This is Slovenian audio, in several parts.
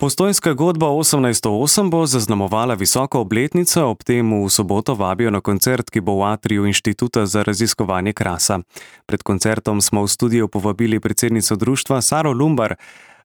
Postojnska godba 1808 bo zaznamovala visoko obletnico, ob tem v soboto vabijo na koncert, ki bo v atriju Inštituta za raziskovanje krasa. Pred koncertom smo v studio povabili predsednico društva Saro Lumbar.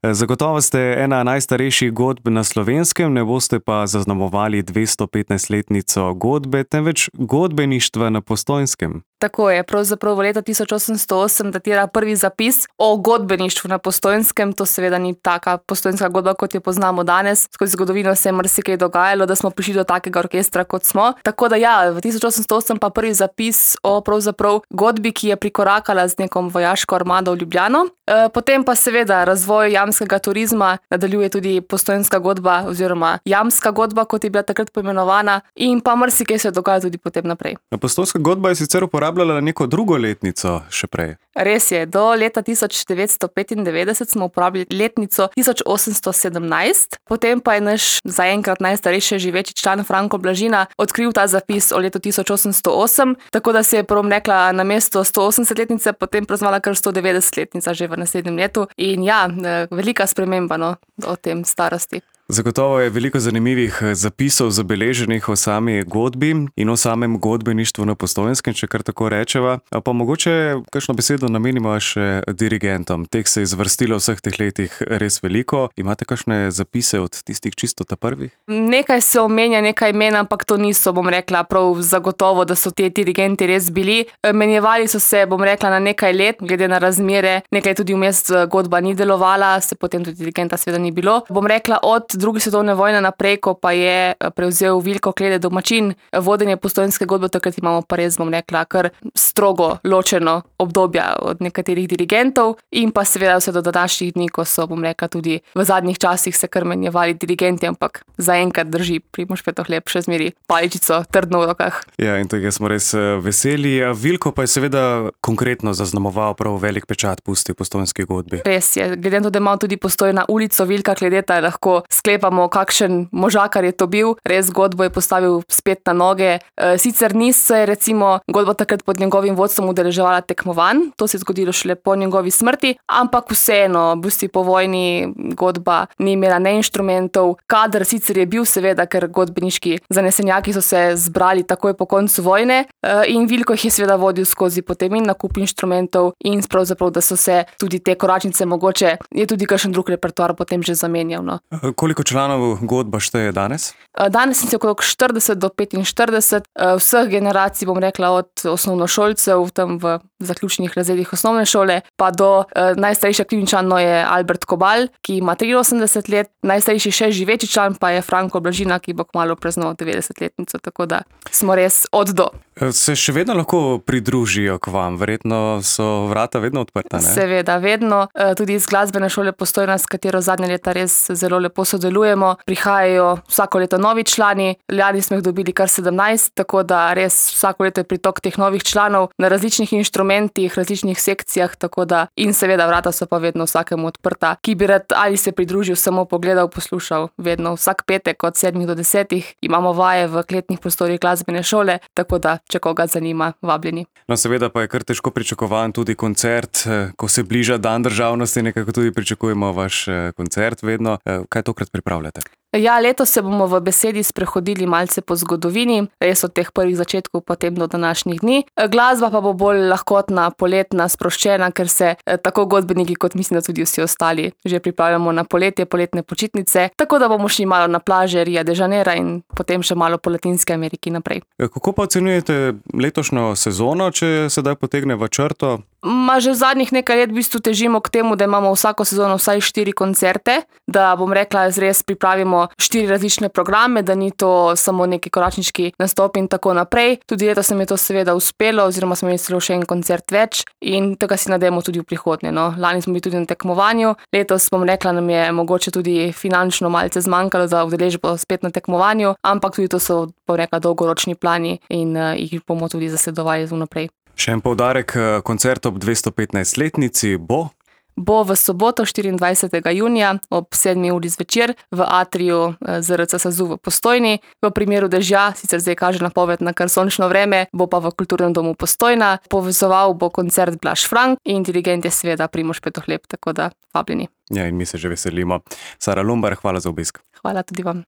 Zagotovo ste ena najstarejših godb na Slovenskem, ne boste pa zaznamovali 215-letnico godbe, temveč godbeništva na Postojnskem. Tako je, pravzaprav v leta 1808 datira prvi zapis o godbeništvu na Postojnskem. To seveda ni taka postojnska godba, kot jo poznamo danes. Skozi zgodovino se je marsikaj dogajalo, da smo prišli do takega orkestra, kot smo. Tako da ja, v 1808 pa prvi zapis o pravzaprav godbi, ki je prikorakala z nekom vojaško armado v Ljubljano. Potem pa seveda razvoj jamskega turizma nadaljuje tudi postojnska godba oziroma jamska godba, kot je bila takrat poimenovana, in pa marsikaj se dogaja tudi potem naprej. Postojnska godba je sicer uporabljala neko drugo letnico še prej. Res je, do leta 1995 smo uporabljali letnico 1817, potem pa je naš zaenkrat najstarejši živeči član Franko Blažina odkril ta zapis o letu 1808, tako da se je prvom rekla na mesto 180-letnice, potem praznovala kar 190-letnica že v naslednjem letu. In ja, velika sprememba o tem starosti. Zagotovo je veliko zanimivih zapisov zabeleženih o sami godbi in o samem godbeništvu na Postojnskem, če kar tako rečeva. Pa mogoče kakšno besedo namenimo še dirigentom. Teh se je zvrstilo vseh teh letih res veliko. Imate kakšne zapise od tistih čisto ta prvih? Nekaj se omenja, nekaj imen, ampak to niso, bom rekla, prav zagotovo, da so ti dirigenti res bili. Menjevali so se, bom rekla, na nekaj let, glede na razmere. Nekaj tudi vmes godba ni delovala, se potem tudi dirigenta seveda ni bilo. Bom rekla, od druge svetovne vojne naprej, ko pa je prevzel Vilko Klede domačin vodenje postojnske godbe, takrat imamo pa res, bom rekla, kar strogo ločeno obdobja od nekaterih dirigentov in pa seveda vse do današnjih dni, ko so, bom rekla, tudi v zadnjih časih se kar menjevali dirigenti, ampak zaenkrat drži Primož Petohlep še zmeri paličico trdno v rokah. Ja, in tega smo res veseli. Vilko pa je seveda konkretno zaznamoval prav velik pečat pusti v postojnski godbi. Res je, glede na to, da imamo tudi Postojna ulico Vilka Kledeta, lahko sklepamo, kakšen možakar je to bil. Res godbo je postavil spet na noge. Sicer ni se recimo godba takrat pod njegovim vodstvom udeleževala tekmovanj, to se je zgodilo šele po njegovi smrti, ampak vseeno, busti po vojni godba ni imela ne inštrumentov. Kader sicer je bil seveda, ker godbeniški zanesenjaki so se zbrali takoj po koncu vojne in Vilko jih je seveda vodil skozi potem in nakup inštrumentov in pravzaprav, da so se tudi te koračnice mogoče, je tudi kakšen drug repertoar potem že zamenjal. Koliko članov godba šteje danes? Danes je okrog 40 do 45, vseh generacij, bom rekla, od osnovnošolcev tam v zaključnih razredih osnovne šole, pa do najstarejši aktivni član je Albert Kobal, ki ima 83 let, najstarejši še živeči član pa je Franko Blažina, ki bo kmalu praznoval 90-letnico, tako da smo res od do. Se še vedno lahko pridružijo k vam? Verjetno so vrata vedno odprta, ne? Seveda, vedno. Tudi iz glasbene šole Postojna, s katero zadnje leta res zelo lepo sodelujemo. Prihajajo vsako leto novi člani, lani smo jih dobili kar 17, tako da res vsako leto je pritok teh novih članov na različnih inštrumentih, različnih sekcijah, tako da in seveda vrata so pa vedno vsakemu odprta, ki bi rad ali se pridružil, samo pogledal, poslušal. Vedno vsak petek od 7 do 10 imamo vaje v kletnih prostorih glasbene šole, tako da če koga zanima, vabljeni. No, seveda pa je kar težko pričakovan tudi koncert, ko se bliža dan državnosti, nekako tudi pričakujemo vaš koncert vedno. Kaj tokrat pripravljate? Ja, letos se bomo v besedi sprehodili malce po zgodovini, res od teh prvih začetkov potem do današnjih dni. Glasba pa bo bolj lahkotna, poletna, sproščena, ker se tako godbeniki kot mislim, da tudi vsi ostali že pripravljamo na poletje, poletne počitnice, tako da bomo šli malo na plaže Rio de Janeiro in potem še malo po Latinski Ameriki naprej. Kako pa ocenjujete letošnjo sezono, če sedaj potegne v črto? Že v zadnjih nekaj let v bistvu težimo k temu, da imamo vsako sezono vsaj 4 koncerte, da bom rekla, res pripravimo 4 različne programe, da ni to samo neki koračniški nastop in tako naprej. Tudi letos nam je to seveda uspelo, oziroma smo imeli celo še en koncert več in tega si nadejamo tudi v prihodnje. Lani smo bili tudi na tekmovanju, letos bom rekla, nam je mogoče tudi finančno malce zmanjkalo za udeležbo spet na tekmovanju, ampak tudi to so, bom rekla, dolgoročni plani in jih bomo tudi zasledovali vnaprej. Še en poudarek, koncert ob 215-letnici bo? bo v soboto 24. junija ob 7. uri zvečer v atriju ZRC SAZU v Postojni. V primeru dežja, sicer zdaj kaže napoved na kar sončno vreme, bo pa v Kulturnem domu Postojna. Povezoval bo koncert Blaž Frank in dirigent je seveda Primož Petohlep, tako da vabljeni. Ja, in mi se že veselimo. Sara Lumbar, hvala za obisk. Hvala tudi vam.